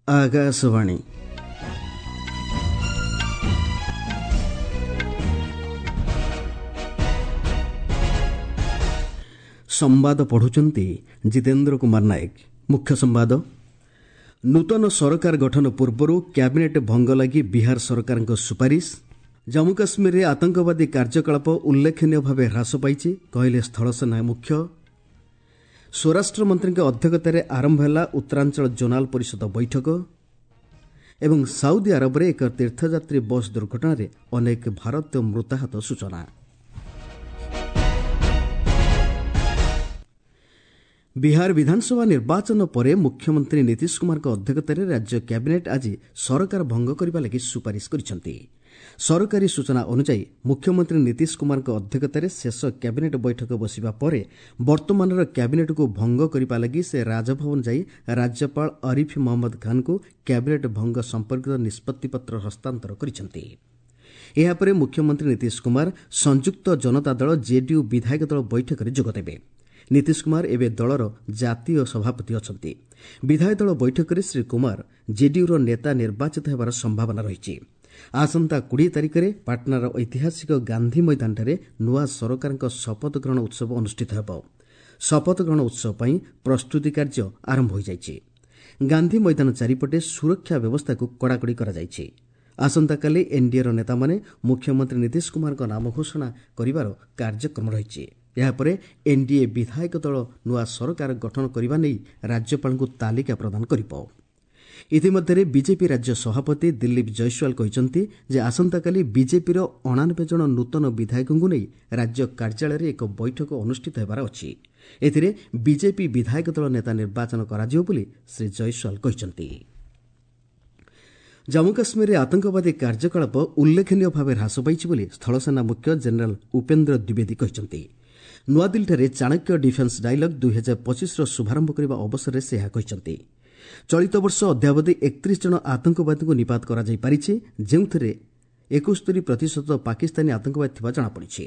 ଆକାଶବାଣୀ। ସମ୍ବାଦ ପଢ଼ୁଛନ୍ତି ଜିତେନ୍ଦ୍ର କୁମାର ନାୟକ। ମୁଖ୍ୟ ସମ୍ବାଦ। ନୂତନ ସରକାର ଗଠନ ପୂର୍ବରୁ କ୍ୟାବିନେଟ୍ ଭଙ୍ଗ ଲାଗି ବିହାର ସରକାରଙ୍କ ସୁପାରିଶ। ଜମ୍ମୁ କାଶ୍ମୀରରେ ଆତଙ୍କବାଦୀ କାର୍ଯ୍ୟକଳାପ ଉଲ୍ଲେଖନୀୟ ଭାବେ ହ୍ରାସ ପାଇଛି, କହିଲେ ସ୍ଥଳସେନା ମୁଖ୍ୟ। ସ୍ୱରାଷ୍ଟ୍ରମନ୍ତ୍ରୀଙ୍କ ଅଧ୍ୟକ୍ଷତାରେ ଆରମ୍ଭ ହେଲା ଉତ୍ତରାଞ୍ଚଳ ଜୋନାଲ ପରିଷଦ ବୈଠକ। ଏବଂ ସାଉଦି ଆରବରେ ଏକ ତୀର୍ଥଯାତ୍ରୀ ବସ୍ ଦୁର୍ଘଟଣାରେ ଅନେକ ଭାରତୀୟ ମୃତାହତ ସୂଚନା। ବିହାର ବିଧାନସଭା ନିର୍ବାଚନ ପରେ ମୁଖ୍ୟମନ୍ତ୍ରୀ ନୀତିଶ କୁମାରଙ୍କ ଅଧ୍ୟକ୍ଷତାରେ ରାଜ୍ୟ କ୍ୟାବିନେଟ୍ ଆଜି ସରକାର ଭଙ୍ଗ କରିବା ଲାଗି ସୁପାରିଶ କରିଛନ୍ତି। ସରକାରୀ ସୂଚନା ଅନୁଯାୟୀ ମୁଖ୍ୟମନ୍ତ୍ରୀ ନୀତିଶ କୁମାରଙ୍କ ଅଧ୍ୟକ୍ଷତାରେ ଶେଷ କ୍ୟାବିନେଟ୍ ବୈଠକ ବସିବା ପରେ ବର୍ତ୍ତମାନର କ୍ୟାବିନେଟ୍କୁ ଭଙ୍ଗ କରିବା ଲାଗି ସେ ରାଜଭବନ ଯାଇ ରାଜ୍ୟପାଳ ଆରିଫ୍ ମହମ୍ମଦ ଖାନ୍ଙ୍କୁ କ୍ୟାବିନେଟ୍ ଭଙ୍ଗ ସମ୍ପର୍କିତ ନିଷ୍ପତ୍ତିପତ୍ର ହସ୍ତାନ୍ତର କରିଛନ୍ତି। ଏହାପରେ ମୁଖ୍ୟମନ୍ତ୍ରୀ ନୀତିଶ କୁମାର ସଂଯୁକ୍ତ ଜନତା ଦଳ ଜେଡିୟୁ ବିଧାୟକ ଦଳ ବୈଠକରେ ଯୋଗଦେବେ। ନୀତିଶ କୁମାର ଏବେ ଦଳର ଜାତୀୟ ସଭାପତି ଅଛନ୍ତି। ବିଧାୟକ ଦଳ ବୈଠକରେ ଶ୍ରୀ କୁମାର ଜେଡିୟୁର ନେତା ନିର୍ବାଚିତ ହେବାର ସମ୍ଭାବନା ରହିଛି। ଆସନ୍ତା 20 ତାରିଖରେ ପାଟନାର ଐତିହାସିକ ଗାନ୍ଧି ମଇଦାନଠାରେ ନୂଆ ସରକାରଙ୍କ ଶପଥ ଗ୍ରହଣ ଉତ୍ସବ ଅନୁଷ୍ଠିତ ହେବ। ଶପଥ ଗ୍ରହଣ ଉତ୍ସବ ପାଇଁ ପ୍ରସ୍ତୁତି କାର୍ଯ୍ୟ ଆରମ୍ଭ ହୋଇଯାଇଛି। ଗାନ୍ଧି ମଇଦାନ ଚାରିପଟେ ସୁରକ୍ଷା ବ୍ୟବସ୍ଥାକୁ କଡ଼ାକଡ଼ି କରାଯାଇଛି। ଆସନ୍ତାକାଲି ଏନ୍ଡିଏର ନେତାମାନେ ମୁଖ୍ୟମନ୍ତ୍ରୀ ନୀତିଶ କୁମାରଙ୍କ ନାମ ଘୋଷଣା କରିବାର କାର୍ଯ୍ୟକ୍ରମ ରହିଛି। ଏହାପରେ ଏନ୍ଡିଏ ବିଧାୟକ ଦଳ ନୂଆ ସରକାର ଗଠନ କରିବା ନେଇ ରାଜ୍ୟପାଳଙ୍କୁ ତାଲିକା ପ୍ରଦାନ କରିବ। ଇତିମଧ୍ୟରେ ବିଜେପି ରାଜ୍ୟ ସଭାପତି ଦିଲ୍ଲୀପ ଜୟସ୍ୱାଲ କହିଛନ୍ତି ଯେ ଆସନ୍ତାକାଲି ବିଜେପିର 89 ଜଣ ନୂତନ ବିଧାୟକଙ୍କୁ ନେଇ ରାଜ୍ୟ କାର୍ଯ୍ୟାଳୟରେ ଏକ ବୈଠକ ଅନୁଷ୍ଠିତ ହେବାର ଅଛି। ଏଥିରେ ବିଜେପି ବିଧାୟକ ଦଳ ନେତା ନିର୍ବାଚନ କରାଯିବ ବୋଲି ଶ୍ରୀ ଜୟସ୍ୱାଲ କହିଛନ୍ତି। ଜମ୍ମୁ କାଶ୍ମୀରରେ ଆତଙ୍କବାଦୀ କାର୍ଯ୍ୟକଳାପ ଉଲ୍ଲେଖନୀୟ ଭାବେ ହ୍ରାସ ପାଇଛି ବୋଲି ସ୍ଥଳସେନା ମୁଖ୍ୟ ଜେନେରାଲ୍ ଉପେନ୍ଦ୍ର ଦ୍ୱିବେଦୀ କହିଛନ୍ତି। ନୂଆଦିଲ୍ଲୀଠାରେ ଚାଣକ୍ୟ ଡିଫେନ୍ସ ଡାଇଲଗ୍ 2025ର ଶୁଭାରମ୍ଭ କରିବା ଅବସରରେ ସେ ଏହା କହିଛନ୍ତି। ଚଳିତ ବର୍ଷ ଅଦ୍ୟାବଧି 31 ଜଣ ଆତଙ୍କବାଦୀଙ୍କୁ ନିପାତ କରାଯାଇପାରିଛି, ଯେଉଁଥିରେ 71% ପାକିସ୍ତାନୀ ଆତଙ୍କବାଦୀ ଥିବା ଜଣାପଡ଼ିଛି।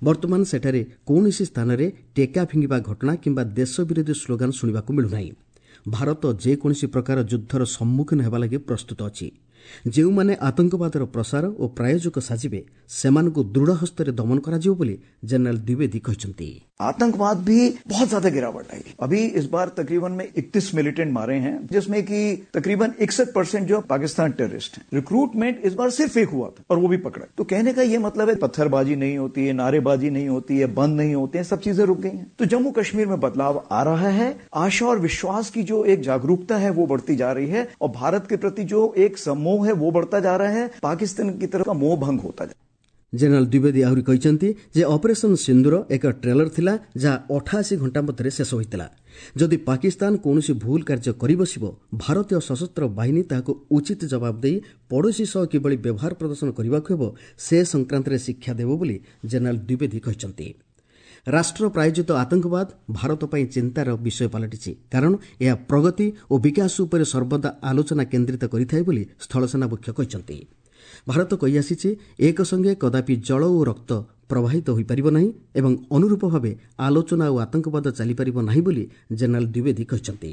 ବର୍ତ୍ତମାନ ସେଠାରେ କୌଣସି ସ୍ଥାନରେ ଟେକା ଫିଙ୍ଗିବା ଘଟଣା କିମ୍ବା ଦେଶ ବିରୋଧୀ ସ୍ଲୋଗାନ ଶୁଣିବାକୁ ମିଳୁନାହିଁ। ଭାରତ ଯେକୌଣସି ପ୍ରକାର ଯୁଦ୍ଧର ସମ୍ମୁଖୀନ ହେବା ଲାଗି ପ୍ରସ୍ତୁତ ଅଛି। ଯେଉଁମାନେ ଆତଙ୍କବାଦର ପ୍ରସାର ଓ ପ୍ରାୟୋଜକ ସାଜିବେ, ସେମାନଙ୍କୁ ଦୃଢ଼ ହସ୍ତରେ ଦମନ କରାଯିବ ବୋଲି ଜେନେରାଲ ଦ୍ୱିବେଦୀ କହିଛନ୍ତି। आतंकवाद भी बहुत ज्यादा गिरावट आई। अभी इस बार तकरीबन में 31 मिलिटेंट मारे हैं, जिसमें कि तकरीबन 61% जो पाकिस्तान टेररिस्ट हैं। रिक्रूटमेंट इस बार सिर्फ एक हुआ था और वो भी पकड़ा। तो कहने का ये मतलब है पत्थरबाजी नहीं होती है, नारेबाजी नहीं होती है, बंद नहीं होते हैं, सब चीजें रुक गई हैं। तो जम्मू कश्मीर में बदलाव आ रहा है। आशा और विश्वास की जो एक जागरूकता है वो बढ़ती जा रही है और भारत के प्रति जो एक सम्मोह है वो बढ़ता जा रहा है। पाकिस्तान की तरफ का मोह भंग होता जा। ଜେନେରାଲ ଦ୍ୱିବେଦୀ ଆହୁରି କହିଛନ୍ତି ଯେ ଅପରେସନ୍ ସିନ୍ଦୁର ଏକ ଟ୍ରେଲର ଥିଲା, ଯାହା 88 ଘଣ୍ଟା ମଧ୍ୟରେ ଶେଷ ହୋଇଥିଲା। ଯଦି ପାକିସ୍ତାନ କୌଣସି ଭୁଲ କାର୍ଯ୍ୟ କରିବସିବ, ଭାରତୀୟ ସଶସ୍ତ୍ର ବାହିନୀ ତାହାକୁ ଉଚିତ ଜବାବ ଦେଇ ପଡ଼ୋଶୀ ସହ କିଭଳି ବ୍ୟବହାର ପ୍ରଦର୍ଶନ କରିବାକୁ ହେବ ସେ ସଂକ୍ରାନ୍ତରେ ଶିକ୍ଷା ଦେବ ବୋଲି ଜେନେରାଲ ଦ୍ୱିବେଦୀ କହିଛନ୍ତି। ରାଷ୍ଟ୍ର ପ୍ରାୟୋଜିତ ଆତଙ୍କବାଦ ଭାରତ ପାଇଁ ଚିନ୍ତାର ବିଷୟ ପାଲଟିଛି, କାରଣ ଏହା ପ୍ରଗତି ଓ ବିକାଶ ଉପରେ ସର୍ବଦା ଆଲୋଚନା କେନ୍ଦ୍ରିତ କରିଥାଏ ବୋଲି ସ୍ଥଳସେନା ମୁଖ୍ୟ କହିଛନ୍ତି। ଭାରତ କହିଆସିଛି, ଏକ ସଙ୍ଗେ କଦାପି ଜଳ ଓ ରକ୍ତ ପ୍ରବାହିତ ହୋଇପାରିବ ନାହିଁ ଏବଂ ଅନୁରୂପ ଭାବେ ଆଲୋଚନା ଓ ଆତଙ୍କବାଦ ଚାଲିପାରିବ ନାହିଁ ବୋଲି ଜେନେରାଲ ଦ୍ୱିବେଦୀ କହିଛନ୍ତି।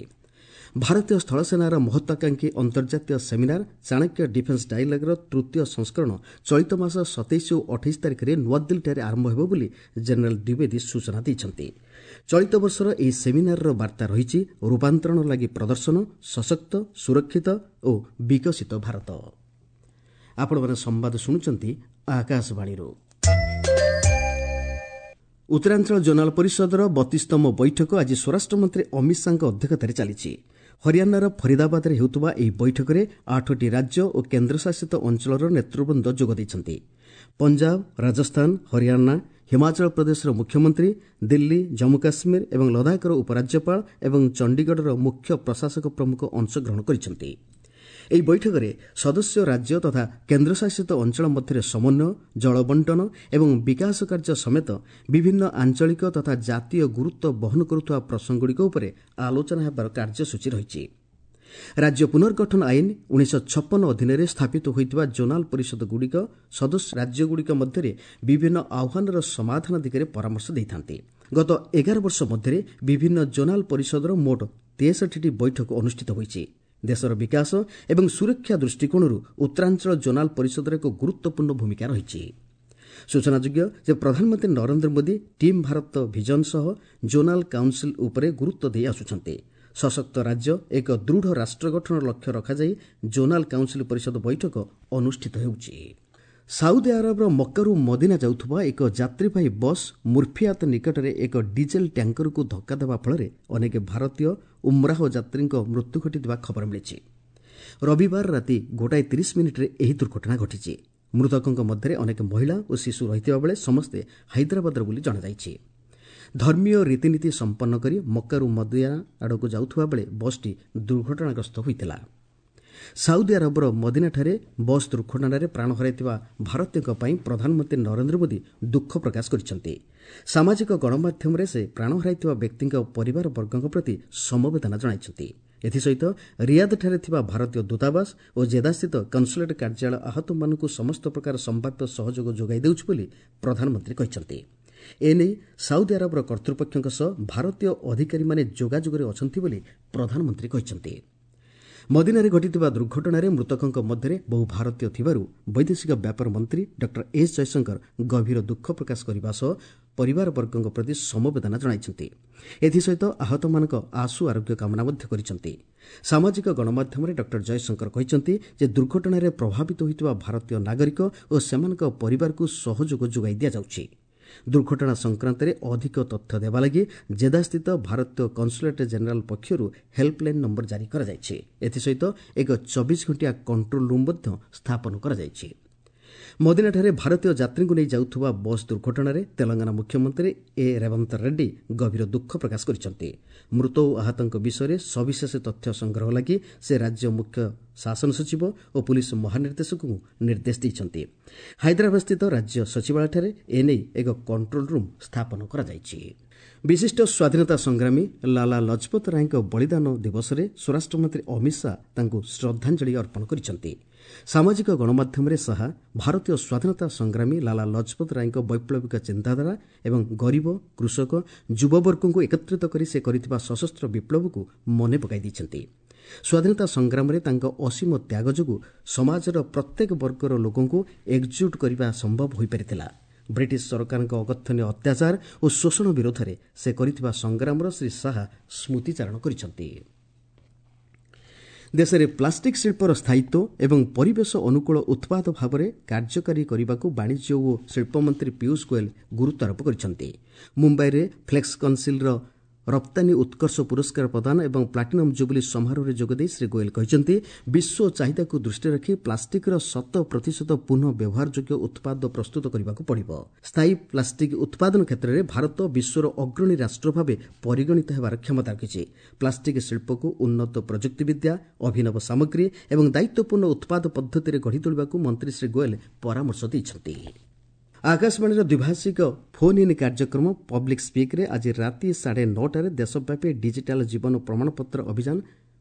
ଭାରତୀୟ ସ୍ଥଳସେନାର ମହତ୍ୱାକାଂକ୍ଷୀ ଅନ୍ତର୍ଜାତୀୟ ସେମିନାର ଚାଣକ୍ୟ ଡିଫେନ୍ସ ଡାଇଲଗ୍ର ତୃତୀୟ ସଂସ୍କରଣ ଚଳିତ ମାସ 27 ଓ 28 ତାରିଖରେ ନୂଆଦିଲ୍ଲୀଠାରେ ଆରମ୍ଭ ହେବ ବୋଲି ଜେନେରାଲ ଦ୍ୱିବେଦୀ ସୂଚନା ଦେଇଛନ୍ତି। ଚଳିତ ବର୍ଷର ଏହି ସେମିନାରର ବାର୍ତ୍ତା ରହିଛି, ରୂପାନ୍ତରଣ ଲାଗି ପ୍ରଦର୍ଶନ, ସଶକ୍ତ, ସୁରକ୍ଷିତ ଓ ବିକଶିତ ଭାରତ। ଆପଣମାନେ ସମ୍ବାଦ ଶୁଣୁଛନ୍ତି ଆକାଶବାଣୀରୁ। ଉତ୍ତରାଞ୍ଚଳ ଜୋନାଲ ପରିଷଦର 32ତମ ବୈଠକ ଆଜି ସ୍ୱରାଷ୍ଟ୍ରମନ୍ତ୍ରୀ ଅମିତ ଶାହାଙ୍କ ଅଧ୍ୟକ୍ଷତାରେ ଚାଲିଛି। ହରିୟାଣାର ଫରିଦାବାଦରେ ହେଉଥିବା ଏହି ବୈଠକରେ 8ଟି ରାଜ୍ୟ ଓ କେନ୍ଦ୍ରଶାସିତ ଅଞ୍ଚଳର ନେତୃବୃନ୍ଦ ଯୋଗ ଦେଇଛନ୍ତି। ପଞ୍ଜାବ, ରାଜସ୍ଥାନ, ହରିୟାଣା, ହିମାଚଳ ପ୍ରଦେଶର ମୁଖ୍ୟମନ୍ତ୍ରୀ, ଦିଲ୍ଲୀ, ଜମ୍ମୁ କାଶ୍ମୀର ଏବଂ ଲଦାଖର ଉପରାଜ୍ୟପାଳ ଏବଂ ଚଣ୍ଡିଗଡ଼ର ମୁଖ୍ୟ ପ୍ରଶାସକ ପ୍ରମୁଖ ଅଂଶଗ୍ରହଣ କରିଛନ୍ତି। ଏହି ବୈଠକରେ ସଦସ୍ୟ ରାଜ୍ୟ ତଥା କେନ୍ଦ୍ରଶାସିତ ଅଞ୍ଚଳ ମଧ୍ୟରେ ସମନ୍ୱୟ, ଜଳ ବଣ୍ଟନ ଏବଂ ବିକାଶ କାର୍ଯ୍ୟ ସମେତ ବିଭିନ୍ନ ଆଞ୍ଚଳିକ ତଥା ଜାତୀୟ ଗୁରୁତ୍ୱ ବହନ କରୁଥିବା ପ୍ରସଙ୍ଗଗୁଡ଼ିକ ଉପରେ ଆଲୋଚନା ହେବାର କାର୍ଯ୍ୟସୂଚୀ ରହିଛି। ରାଜ୍ୟ ପୁନର୍ଗଠନ ଆଇନ 1956 ଅଧୀନରେ ସ୍ଥାପିତ ହୋଇଥିବା ଜୋନାଲ ପରିଷଦଗୁଡ଼ିକ ସଦସ୍ୟ ରାଜ୍ୟଗୁଡ଼ିକ ମଧ୍ୟରେ ବିଭିନ୍ନ ଆହ୍ୱାନର ସମାଧାନ ଦିଗରେ ପରାମର୍ଶ ଦେଇଥାନ୍ତି। ଗତ 11 ବର୍ଷ ମଧ୍ୟରେ ବିଭିନ୍ନ ଜୋନାଲ ପରିଷଦର ମୋଟ 63ଟି ବୈଠକ ଅନୁଷ୍ଠିତ ହୋଇଛି। ଦେଶର ବିକାଶ ଏବଂ ସୁରକ୍ଷା ଦୃଷ୍ଟିକୋଣରୁ ଉତ୍ତରାଞ୍ଚଳ ଜୋନାଲ ପରିଷଦର ଏକ ଗୁରୁତ୍ୱପୂର୍ଣ୍ଣ ଭୂମିକା ରହିଛି। ସୂଚନାଯୋଗ୍ୟ ଯେ ପ୍ରଧାନମନ୍ତ୍ରୀ ନରେନ୍ଦ୍ର ମୋଦି ଟିମ୍ ଭାରତ ଭିଜନ ସହ ଜୋନାଲ କାଉନ୍ସିଲ ଉପରେ ଗୁରୁତ୍ୱ ଦେଇ ଆସୁଛନ୍ତି। ସଶକ୍ତ ରାଜ୍ୟ ଏକ ଦୃଢ଼ ରାଷ୍ଟ୍ର ଗଠନର ଲକ୍ଷ୍ୟ ରଖାଯାଇ ଜୋନାଲ କାଉନ୍ସିଲ ପରିଷଦ ବୈଠକ ଅନୁଷ୍ଠିତ ହେଉଛି। ସାଉଦି ଆରବର ମକ୍କାରୁ ମଦିନା ଯାଉଥିବା ଏକ ଯାତ୍ରୀବାହୀ ବସ୍ ମୁର୍ଫିଆତ ନିକଟରେ ଏକ ଡିଜେଲ ଟ୍ୟାଙ୍କରକୁ ଧକ୍କା ଦେବା ଫଳରେ ଅନେକ ଭାରତୀୟ ଉମ୍ରାହ ଯାତ୍ରୀଙ୍କ ମୃତ୍ୟୁ ଘଟିଥିବା ଖବର ମିଳିଛି। ରବିବାର ରାତି 1:30 ଏହି ଦୁର୍ଘଟଣା ଘଟିଛି। ମୃତକଙ୍କ ମଧ୍ୟରେ ଅନେକ ମହିଳା ଓ ଶିଶୁ ରହିଥିବା ବେଳେ ସମସ୍ତେ ହାଇଦ୍ରାବାଦର ବୋଲି ଜଣାଯାଇଛି। ଧର୍ମୀୟ ରୀତିନୀତି ସମ୍ପନ୍ନ କରି ମକ୍କାରୁ ମଦିନା ଆଡ଼କୁ ଯାଉଥିବା ବେଳେ ବସ୍ଟି ଦୁର୍ଘଟଣାଗ୍ରସ୍ତ ହୋଇଥିଲା। ସାଉଦି ଆରବର ମଦିନାଠାରେ ବସ୍ ଦୁର୍ଘଟଣାରେ ପ୍ରାଣ ହରାଇଥିବା ଭାରତୀୟଙ୍କ ପାଇଁ ପ୍ରଧାନମନ୍ତ୍ରୀ ନରେନ୍ଦ୍ର ମୋଦି ଦୁଃଖ ପ୍ରକାଶ କରିଛନ୍ତି। ସାମାଜିକ ଗଣମାଧ୍ୟମରେ ସେ ପ୍ରାଣ ହରାଇଥିବା ବ୍ୟକ୍ତିଙ୍କ ପରିବାରବର୍ଗଙ୍କ ପ୍ରତି ସମବେଦନା ଜଣାଇଛନ୍ତି। ଏଥିସହିତ ରିୟାଦଠାରେ ଥିବା ଭାରତୀୟ ଦୂତାବାସ ଓ ଜେଦାସ୍ଥିତ କନ୍ସୁଲେଟ୍ କାର୍ଯ୍ୟାଳୟ ଆହତମାନଙ୍କୁ ସମସ୍ତ ପ୍ରକାର ସମ୍ଭାବ୍ୟ ସହଯୋଗ ଯୋଗାଇ ଦେଉଛି ବୋଲି ପ୍ରଧାନମନ୍ତ୍ରୀ କହିଛନ୍ତି। ଏନେଇ ସାଉଦି ଆରବର କର୍ତ୍ତୃପକ୍ଷଙ୍କ ସହ ଭାରତୀୟ ଅଧିକାରୀମାନେ ଯୋଗାଯୋଗରେ ଅଛନ୍ତି ବୋଲି ପ୍ରଧାନମନ୍ତ୍ରୀ କହିଛନ୍ତି। ମଦିନାରେ ଘଟିଥିବା ଦୁର୍ଘଟଣାରେ ମୃତକଙ୍କ ମଧ୍ୟରେ ବହୁ ଭାରତୀୟ ଥିବାରୁ ବୈଦେଶିକ ବ୍ୟାପାର ମନ୍ତ୍ରୀ ଡକ୍ଟର ଏସ୍ ଜୟଶଙ୍କର ଗଭୀର ଦୁଃଖ ପ୍ରକାଶ କରିବା ସହ ପରିବାରବର୍ଗଙ୍କ ପ୍ରତି ସମବେଦନା ଜଣାଇଛନ୍ତି। ଏଥିସହିତ ଆହତମାନଙ୍କ ଆଶୁ ଆରୋଗ୍ୟ କାମନା ମଧ୍ୟ କରିଛନ୍ତି। ସାମାଜିକ ଗଣମାଧ୍ୟମରେ ଡକ୍ଟର ଜୟଶଙ୍କର କହିଛନ୍ତି ଯେ ଦୁର୍ଘଟଣାରେ ପ୍ରଭାବିତ ହୋଇଥିବା ଭାରତୀୟ ନାଗରିକ ଓ ସେମାନଙ୍କ ପରିବାରକୁ ସହଯୋଗ ଯୋଗାଇ ଦିଆଯାଉଛି। ଦୁର୍ଘଟଣା ସଂକ୍ରାନ୍ତରେ ଅଧିକ ତଥ୍ୟ ଦେବା ଲାଗି ଜେଦାସ୍ଥିତ ଭାରତୀୟ କନ୍ସୁଲେଟ୍ ଜେନେରାଲ ପକ୍ଷରୁ ହେଲ୍ପଲାଇନ୍ ନମ୍ବର ଜାରି କରାଯାଇଛି। ଏଥିସହିତ ଏକ 24 ଘଣ୍ଟିଆ କଣ୍ଟ୍ରୋଲ ରୁମ୍ ମଧ୍ୟ ସ୍ଥାପନ କରାଯାଇଛି। ମଦିନାଠାରେ ଭାରତୀୟ ଯାତ୍ରୀଙ୍କୁ ନେଇ ଯାଉଥିବା ବସ୍ ଦୁର୍ଘଟଣାରେ ତେଲଙ୍ଗାନା ମୁଖ୍ୟମନ୍ତ୍ରୀ ଏ ରେବନ୍ତ ରେଡ୍ଡି ଗଭୀର ଦୁଃଖ ପ୍ରକାଶ କରିଛନ୍ତି। ମୃତ ଓ ଆହତଙ୍କ ବିଷୟରେ ସବିଶେଷ ତଥ୍ୟ ସଂଗ୍ରହ ଲାଗି ସେ ରାଜ୍ୟ ମୁଖ୍ୟ ଶାସନ ସଚିବ ଓ ପୁଲିସ୍ ମହାନିର୍ଦ୍ଦେଶକଙ୍କୁ ନିର୍ଦ୍ଦେଶ ଦେଇଛନ୍ତି। ହାଇଦ୍ରାବାଦସ୍ଥିତ ରାଜ୍ୟ ସଚିବାଳୟଠାରେ ଏନେଇ ଏକ କଣ୍ଟ୍ରୋଲ ରୁମ୍ ସ୍ଥାପନ କରାଯାଇଛି। ବିଶିଷ୍ଟ ସ୍ୱାଧୀନତା ସଂଗ୍ରାମୀ ଲାଲା ଲଜପତ ରାୟଙ୍କ ବଳିଦାନ ଦିବସରେ ସ୍ୱରାଷ୍ଟ୍ରମନ୍ତ୍ରୀ ଅମିତ ଶାହା ତାଙ୍କୁ ଶ୍ରଦ୍ଧାଞ୍ଜଳି ଅର୍ପଣ କରିଛନ୍ତି। ସାମାଜିକ ଗଣମାଧ୍ୟମରେ ଶାହା ଭାରତୀୟ ସ୍ୱାଧୀନତା ସଂଗ୍ରାମୀ ଲାଲା ଲଜପତ ରାୟଙ୍କ ବୈପ୍ଳବିକ ଚିନ୍ତାଧାରା ଏବଂ ଗରିବ, କୃଷକ, ଯୁବବର୍ଗଙ୍କୁ ଏକତ୍ରିତ କରି ସେ କରିଥିବା ସଶସ୍ତ୍ର ବିପ୍ଳବକୁ ମନେ ପକାଇ ଦେଇଛନ୍ତି। ସ୍ୱାଧୀନତା ସଂଗ୍ରାମରେ ତାଙ୍କ ଅସୀମ ତ୍ୟାଗ ଯୋଗୁଁ ସମାଜର ପ୍ରତ୍ୟେକ ବର୍ଗର ଲୋକଙ୍କୁ ଏକଜୁଟ କରିବା ସମ୍ଭବ ହୋଇପାରିଥିଲା। ବ୍ରିଟିଶ ସରକାରଙ୍କ ଅକଥନୀୟ ଅତ୍ୟାଚାର ଓ ଶୋଷଣ ବିରୋଧରେ ସେ କରିଥିବା ସଂଗ୍ରାମର ଶ୍ରୀ ଶାହା ସ୍ମୃତିଚାରଣ କରିଛନ୍ତି। ଦେଶରେ ପ୍ଲାଷ୍ଟିକ୍ ଶିଳ୍ପର ସ୍ଥାୟିତ୍ୱ ଏବଂ ପରିବେଶ ଅନୁକୂଳ ଉତ୍ପାଦ ଭାବରେ କାର୍ଯ୍ୟକାରୀ କରିବାକୁ ବାଣିଜ୍ୟ ଓ ଶିଳ୍ପମନ୍ତ୍ରୀ ପୀୟୁଷ ଗୋଏଲ ଗୁରୁତ୍ୱାରୋପ କରିଛନ୍ତି। ମୁମ୍ବାଇରେ ଫ୍ଲେକ୍ସ କନ୍ସିଲ୍ର ରପ୍ତାନୀ ଉତ୍କର୍ଷ ପୁରସ୍କାର ପ୍ରଦାନ ଏବଂ ପ୍ଲାଟିନମ୍ ଜୁବୁଲି ସମାରୋହରେ ଯୋଗଦେଇ ଶ୍ରୀ ଗୋଏଲ କହିଛନ୍ତି, ବିଶ୍ୱ ଚାହିଦାକୁ ଦୃଷ୍ଟିରେ ରଖି ପ୍ଲାଷ୍ଟିକ୍ର 100% ପୁନଃ ବ୍ୟବହାରଯୋଗ୍ୟ ଉତ୍ପାଦ ପ୍ରସ୍ତୁତ କରିବାକୁ ପଡ଼ିବ। ସ୍ଥାୟୀ ପ୍ଲାଷ୍ଟିକ୍ ଉତ୍ପାଦନ କ୍ଷେତ୍ରରେ ଭାରତ ବିଶ୍ୱର ଅଗ୍ରଣୀ ରାଷ୍ଟ୍ର ଭାବେ ପରିଗଣିତ ହେବାର କ୍ଷମତା ରଖିଛି। ପ୍ଲାଷ୍ଟିକ୍ ଶିଳ୍ପକୁ ଉନ୍ନତ ପ୍ରଯୁକ୍ତିବିଦ୍ୟା, ଅଭିନବ ସାମଗ୍ରୀ ଏବଂ ଦାୟିତ୍ୱପୂର୍ଣ୍ଣ ଉତ୍ପାଦ ପଦ୍ଧତିରେ ଗଢ଼ି ତୋଳିବାକୁ ମନ୍ତ୍ରୀ ଶ୍ରୀ ଗୋଏଲ ପରାମର୍ଶ ଦେଇଛନ୍ତି। ଆକାଶବାଣୀର ଦ୍ୱିଭାଷିକ ଫୋନ୍ ଇନ୍ କାର୍ଯ୍ୟକ୍ରମ ପବ୍ଲିକ୍ ସ୍ପିକ୍ରେ ଆଜି ରାତି 9:30ରେ ଦେଶବ୍ୟାପୀ ଡିଜିଟାଲ ଜୀବନ ପ୍ରମାଣପତ୍ର ଅଭିଯାନ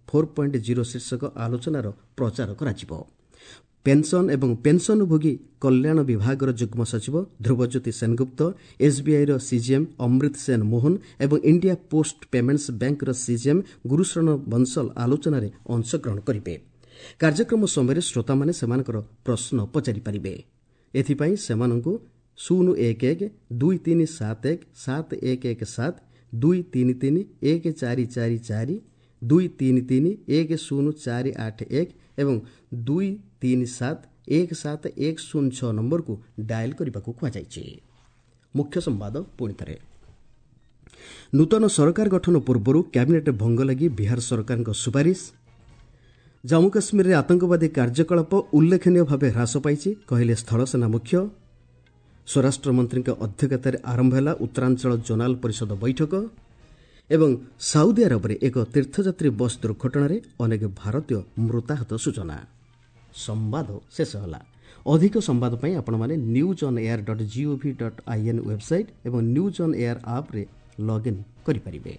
4.0 ଶୀର୍ଷକ ଆଲୋଚନାର ପ୍ରଚାର କରାଯିବ। ପେନ୍ସନ୍ ଏବଂ ପେନ୍ସନ୍ଭୋଗୀ କଲ୍ୟାଣ ବିଭାଗର ଯୁଗ୍ମ ସଚିବ ଧ୍ରୁବଜ୍ୟୋତି ସେନଗୁପ୍ତ, ଏସ୍ବିଆଇର ସିଜିଏମ୍ ଅମୃତ ସେନ ମୋହନ ଏବଂ ଇଣ୍ଡିଆ ପୋଷ୍ଟ ପେମେଣ୍ଟସ୍ ବ୍ୟାଙ୍କର ସିଜିଏମ୍ ଗୁରୁଶରଣ ବଂଶଲ ଆଲୋଚନାରେ ଅଂଶଗ୍ରହଣ କରିବେ। କାର୍ଯ୍ୟକ୍ରମ ସମୟରେ ଶ୍ରୋତାମାନେ ସେମାନଙ୍କର ପ୍ରଶ୍ନ ପଚାରିପାରିବେ। ଏଥିପାଇଁ ସେମାନଙ୍କୁ 011 2371 7117 233 1444 233 10481 ଏବଂ 237 17106 ନମ୍ବରକୁ ଡାଏଲ୍ କରିବାକୁ କୁହାଯାଇଛି। ମୁଖ୍ୟ ସମ୍ବାଦ ପୁଣିଥରେ। ନୂତନ ସରକାର ଗଠନ ପୂର୍ବରୁ କ୍ୟାବିନେଟ୍ ଭଙ୍ଗ ଲାଗି ବିହାର ସରକାରଙ୍କ ସୁପାରିଶ। ଜମ୍ମୁ କାଶ୍ମୀରରେ ଆତଙ୍କବାଦୀ କାର୍ଯ୍ୟକଳାପ ଉଲ୍ଲେଖନୀୟ ଭାବେ ହ୍ରାସ ପାଇଛି, କହିଲେ ସ୍ଥଳସେନା ମୁଖ୍ୟ। ସ୍ୱରାଷ୍ଟ୍ରମନ୍ତ୍ରୀଙ୍କ ଅଧ୍ୟକ୍ଷତାରେ ଆରମ୍ଭ ହେଲା ଉତ୍ତରାଞ୍ଚଳ ଜୋନାଲ ପରିଷଦ ବୈଠକ। ଏବଂ ସାଉଦି ଆରବରେ ଏକ ତୀର୍ଥଯାତ୍ରୀ ବସ୍ ଦୁର୍ଘଟଣାରେ ଅନେକ ଭାରତୀୟ ମୃତାହତ ସୂଚନା। ସମ୍ବାଦ ଶେଷ ହେଲା। ଅଧିକ ସମ୍ବାଦ ପାଇଁ ଆପଣମାନେ newsonair.gov.in website ଏବଂ ନ୍ୟୁଜ୍ ଅନ୍ ଏୟାର ଆପ୍ରେ ଲଗ୍ଇନ୍ କରିପାରିବେ।